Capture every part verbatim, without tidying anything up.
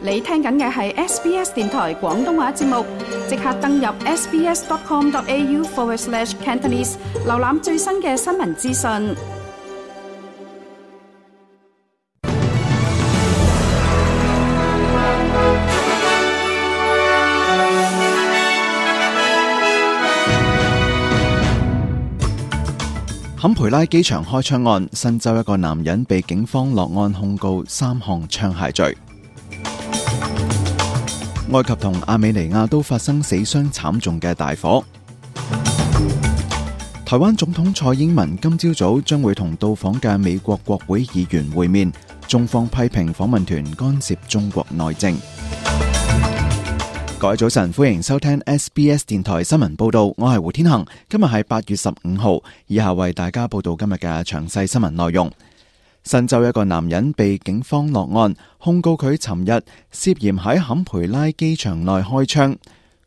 你聽緊嘅係 S B S 電台廣東話節目，即刻登入 sbs.com.au forward slash Cantonese， 瀏覽最新嘅新聞資訊。坎培拉機場開槍案，新州一個男人被警方落案控告三項槍械罪。埃及同亞美尼亞都發生死傷慘重嘅大火。台灣總統蔡英文今朝早將會同到訪嘅美國國會議員會面，中方批評訪問團干涉中國內政。各位早晨，歡迎收聽 S B S 電台新聞報道，我係胡天恒。今日係八月十五號，以下為大家報道今日嘅詳細新聞內容。新州一個男人被警方落案，控告佢尋日涉嫌喺坎培拉機場內開槍。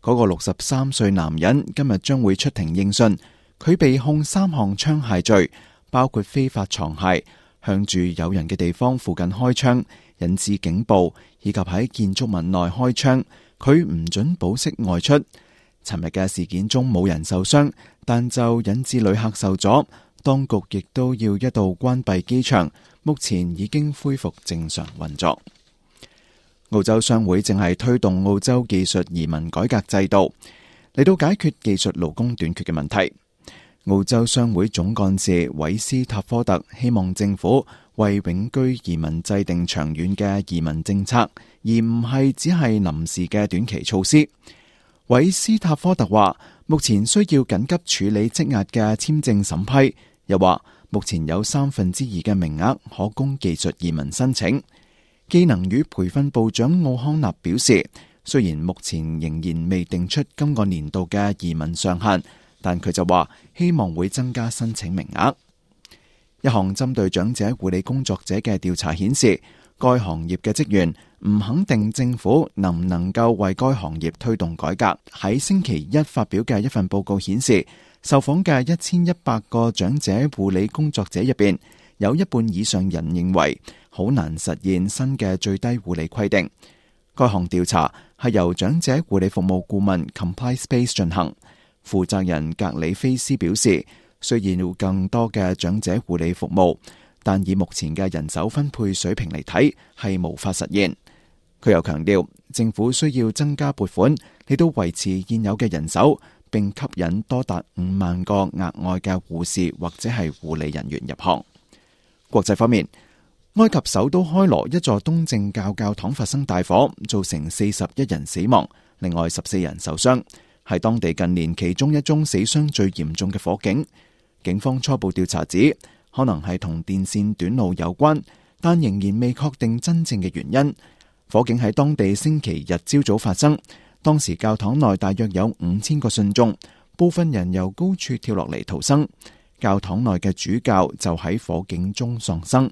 嗰個六十三歲男人今日將會出庭應訊，佢被控三項槍械罪，包括非法藏械、向住有人嘅地方附近開槍、引致警暴，以及喺建築物內開槍。佢唔准保釋外出。尋日嘅事件中冇人受傷，但就引致旅客受阻，當局亦都要一度關閉機場。目前已經恢復正常運作。澳洲商會正係推動澳洲技術移民改革制度，嚟到解決技術勞工短缺嘅問題。澳洲商會總幹事韋斯塔科特希望政府為永居移民制定長遠嘅移民政策，而唔係只係臨時嘅短期措施。韋斯塔科特話，目前需要緊急處理積壓嘅簽證審批，又話目前有三分之二嘅名額可供技術移民申請。技能與培訓部長奧康納表示，雖然目前仍然未定出今個年度嘅移民上限，但佢就話希望會增加申請名額。一項針對長者護理工作者嘅調查顯示，該行業嘅職員唔肯定政府能唔能夠為該行業推動改革。喺星期一發表嘅一份報告顯示，受訪嘅一千一百個長者護理工作者入邊，有一半以上人認為好難實現新嘅最低護理規定。該項調查係由長者護理服務顧問 Comply Space 進行。負責人格里菲斯表示，雖然要更多嘅長者護理服務，但以目前嘅人手分配水平嚟睇，係無法實現。佢又強調，政府需要增加撥款嚟到維持現有嘅人手，並吸引多達五萬個額外嘅護士或者係護理人員入行。國際方面，埃及首都開羅一座東正教教堂發生大火，造成四十一人死亡，另外十四人受傷，係當地近年其中一宗死傷最嚴重嘅火警。警方初步調查指，可能係同電線短路有關，但仍然未確定真正嘅原因。火警喺當地星期日朝早發生，當時教堂內大約有五千個信眾，部分人由高處跳落嚟逃生。教堂內嘅主教就喺火警中喪生。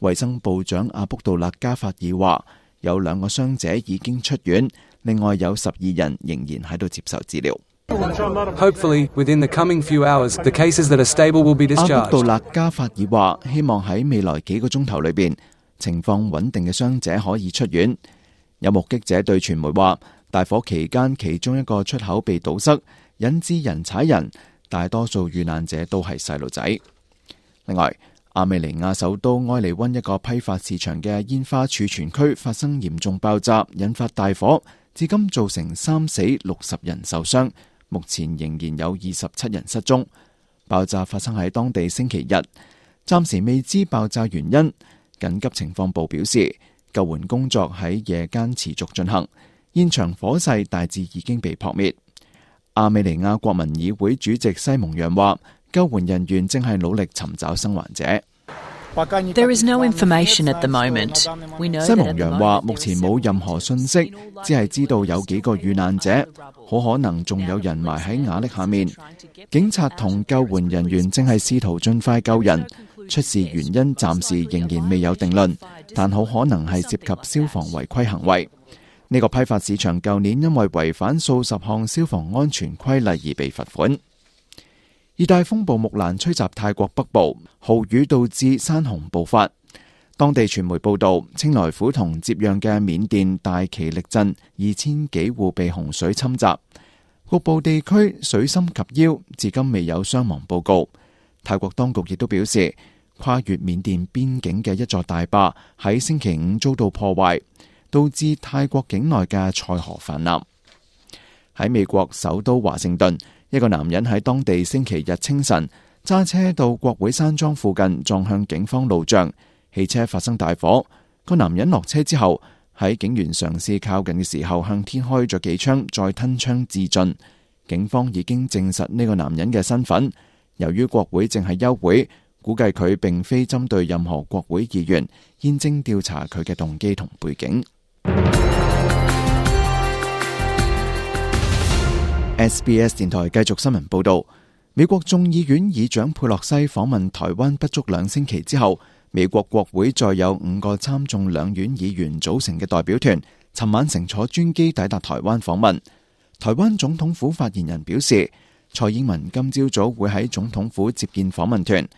衛生部長阿卜杜勒加法爾話，有兩個傷者已經出院，另外有十二人仍然喺度接受治療。Hopefully, within the coming few hours, the cases that are stable will be discharged. 阿卜杜勒加法爾話，希望喺未來幾個鐘頭裏邊，情況穩定嘅傷者可以出院。有目擊者對傳媒話，大火期間其中一個出口被堵塞，引致人踩人，大多數遇難者都係細路仔。另外，亞美尼亞首都埃利溫一個批發市場嘅煙花儲存區發生嚴重爆炸，引發大火，至今造成三死六十人受傷。目前仍然有二十七人失蹤。爆炸發生喺當地星期日，暫時未知爆炸原因。緊急情況部表示，救援工作喺夜間持續進行，現場火勢大致已經被撲滅。亞美尼亞國民議會主席西蒙揚話，救援人員正係努力尋找生還者。There is no information at the moment. We know 西蒙揚話，目前冇任何信息，只係知道有幾個遇難者，好可能仲有人埋喺瓦礫下面。警察同救援人員正係試圖盡快救人，出事原因暫時仍然未有定論，但好可能係涉及消防違規行為。呢個批發市場舊年因為違反數十項消防安全規例而被罰款。熱帶風暴木蘭吹襲泰國北部，豪雨導致山洪暴發。當地傳媒報道，清萊府同接壤嘅緬甸大其力鎮二千幾戶被洪水侵襲，局部地區水深及腰，至今未有傷亡報告。泰國當局亦都表示，跨越緬甸邊境嘅一座大壩喺星期五遭到破壞，導致泰國境內嘅塞河泛濫。喺美國首都華盛頓，一個男人喺當地星期日清晨揸車到國會山莊附近，撞向警方路障。汽車發生大火，個男人落車之後，喺警員嘗試靠近嘅時候，向天開咗幾槍，再吞槍自盡。警方已經證實呢個男人嘅身份。由於國會正係休會，估計佢並非針對任何國會議員，現正調查佢嘅動機同背景。S B S 電台繼續新聞報道，美國眾議院議長佩洛西訪問台灣不足兩星期之後，美國國會再有五個參眾兩院議員組成嘅代表團，尋晚乘坐專機抵達台灣訪問。台灣總統府發言人表示，蔡英文今朝早會喺總統府接見訪問團。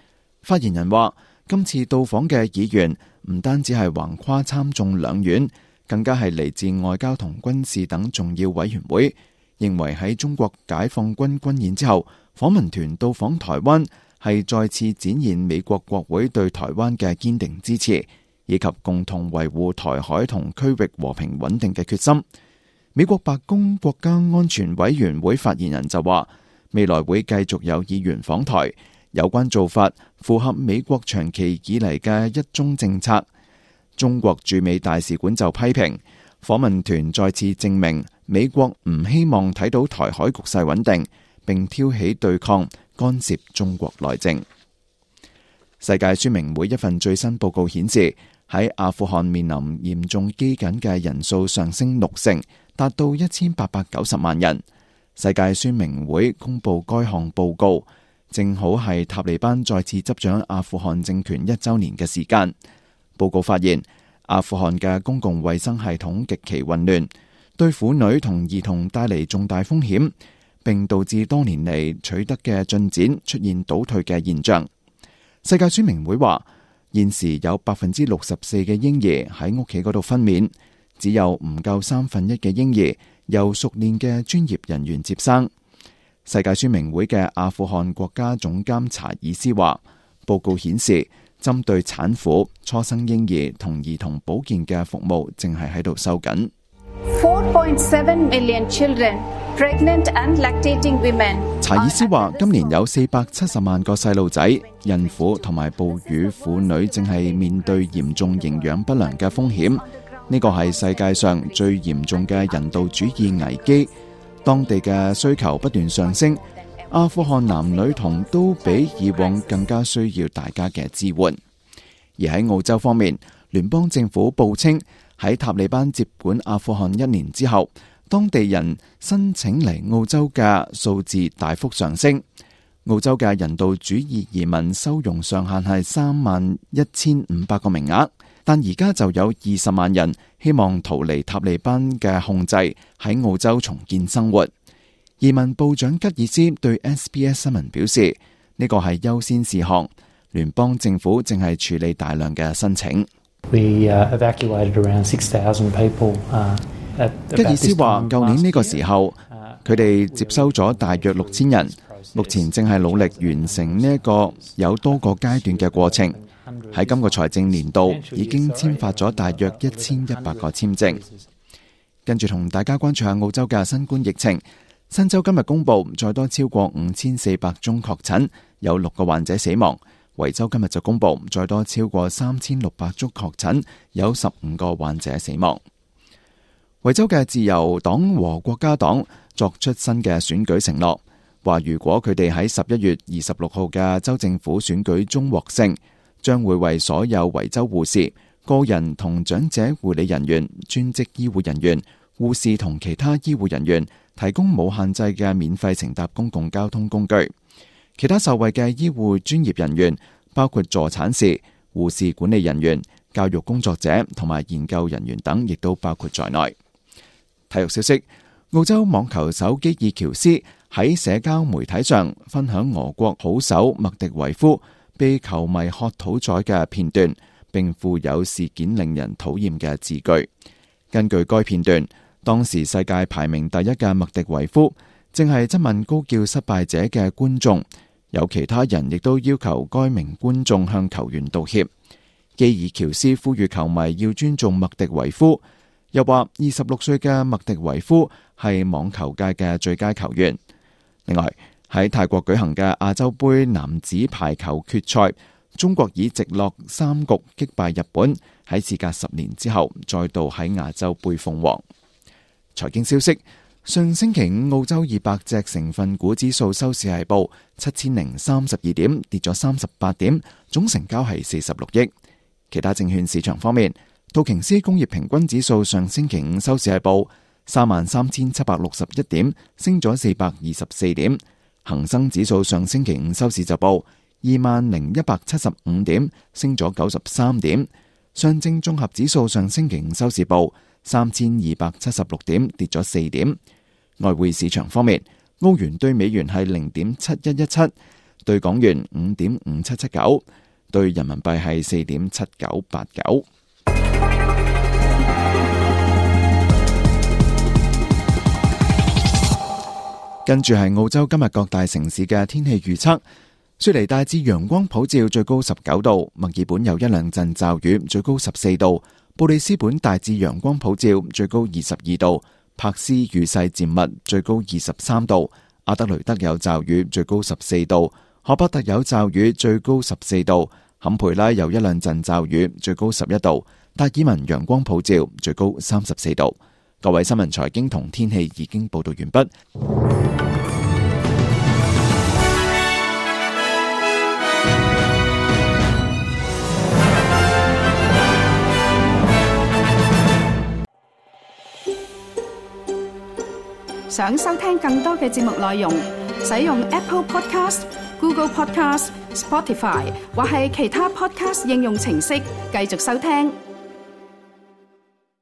發言人話，今次到訪嘅議員唔單止係橫跨參眾兩院，更加係嚟自外交同軍事等重要委員會，認為喺中國解放軍軍演之後，訪問團到訪台灣係再次展現美國國會對台灣嘅堅定支持，以及共同維護台海同區域和平穩定嘅決心。美國白宮國家安全委員會發言人就話，未來會繼續有議員訪台，有關做法符合美國長期以嚟嘅一中政策。中國駐美大使館就批評訪問團再次證明美國唔希望睇到台海局勢穩定，並挑起對抗，干涉中國內政。世界宣明會一份最新報告顯示，喺阿富汗面臨嚴重饑饉嘅人數上升六成，達到一千八百九十萬人。世界宣明會公布該項報告，正好係塔利班再次執掌阿富汗政權一周年嘅時間。報告發現，阿富汗嘅公共衛生系統極其混亂，對婦女同兒童帶嚟重大風險，並導致多年嚟取得嘅進展出現倒退嘅現象。世界宣明會話，現時有百分之六十四嘅嬰兒喺屋企嗰度分娩，只有唔夠三分一嘅嬰兒由熟練嘅專業人員接生。世界宣明會嘅阿富汗國家總監查爾斯話，報告顯示，針對產婦、初生嬰兒同兒童保健嘅服務正係喺度收緊。four point seven million children, pregnant and lactating women。查爾斯話，今年有四百七十萬個細路仔、孕婦同埋哺乳婦女正係面對嚴重營養不良嘅風險。呢個係世界上最嚴重嘅人道主義危機。當地嘅需求不斷上升，阿富汗男女童都比以往更加需要大家嘅支援。而喺澳洲方面，聯邦政府報稱，喺塔利班接管阿富汗一年之後，當地人申請嚟澳洲嘅數字大幅上升。澳洲嘅人道主義移民收容上限係三萬一千五百個名額，但而家就有二十萬人希望逃離塔利班嘅控制，喺澳洲重建生活。移民部長吉爾斯對 S B S 新聞表示，呢個係優先事項，聯邦政府正係處理大量嘅申請。We, uh, evacuated around six thousand people, uh, at 吉爾斯話，舊年呢個時候，佢哋接收咗大約六千人，目前正係努力完成呢一個有多個階段嘅過程。喺今個財政年度已經簽發咗大約一千一百個簽證。跟住同大家關注下澳洲嘅新冠疫情。新州今日公布再多超過五千四百宗確診，有六個患者死亡。維州今日就公布再多超過三千六百宗確診，有十五個患者死亡。維州嘅自由黨和國家黨作出新嘅選舉承諾，話如果佢哋喺十一月二十六號嘅州政府選舉中獲勝，將會為所有維州護士、個人同長者護理人員、專職醫護人員、護士同其他醫護人員提供冇限制嘅免費乘搭公共交通工具。其他受惠嘅醫護專業人員包括助產士、護士管理人員、教育工作者同埋研究人員等，亦都包括在內。體育消息：澳洲網球手基爾喬斯喺社交媒體上分享俄國好手麥迪維夫被球迷喝倒彩嘅片段，並附有事件令人討厭嘅字句。根據該片段，當時世界排名第一嘅麥迪維夫正係質問高叫失敗者嘅觀眾，有其他人亦都要求該名觀眾向球員道歉。基爾喬斯呼籲球迷要尊重麥迪維夫，又話二十六歲嘅麥迪維夫係網球界嘅最佳球員。另外，喺泰國舉行嘅亞洲盃男子排球決賽，中國以直落三局擊敗日本，喺事隔十年之後再度喺亞洲盃封王。財經消息，上星期五澳洲二百隻成分股指數收市係報七千零三十二點，跌咗三十八點，總成交係四十六億。其他證券市場方面，道瓊斯工業平均指數上星期五收市係報三萬三千七百六十一點，升咗四百二十四點。恒生指數上星期五收市就報二萬零一百七十五點，升咗九十三點。上證綜合指數上星期五收市報三千二百七十六點，跌咗四點。外匯市場方面，澳元對美元係零點七一一七，對港元五點五七七九，對人民幣係四點七九八九。跟住係澳洲今日各大城市嘅天氣預測。雪梨大致陽光普照，最高十九度；墨爾本有一兩陣驟雨，最高十四度；布里斯本大致陽光普照，最高二十二度；柏斯雨勢漸密，最高二十三度；阿德雷德有驟雨，最高十四度；荷伯特有驟雨，最高十四度；坎培拉有一兩陣驟雨，最高十一度；達爾文陽光普照，最高三十四度。各位新聞財經同天氣已經報道完畢。想收聽更多嘅節目內容，使用 Apple Podcast、Google Podcast、Spotify 或係其他 Podcast 應用程式繼續收聽。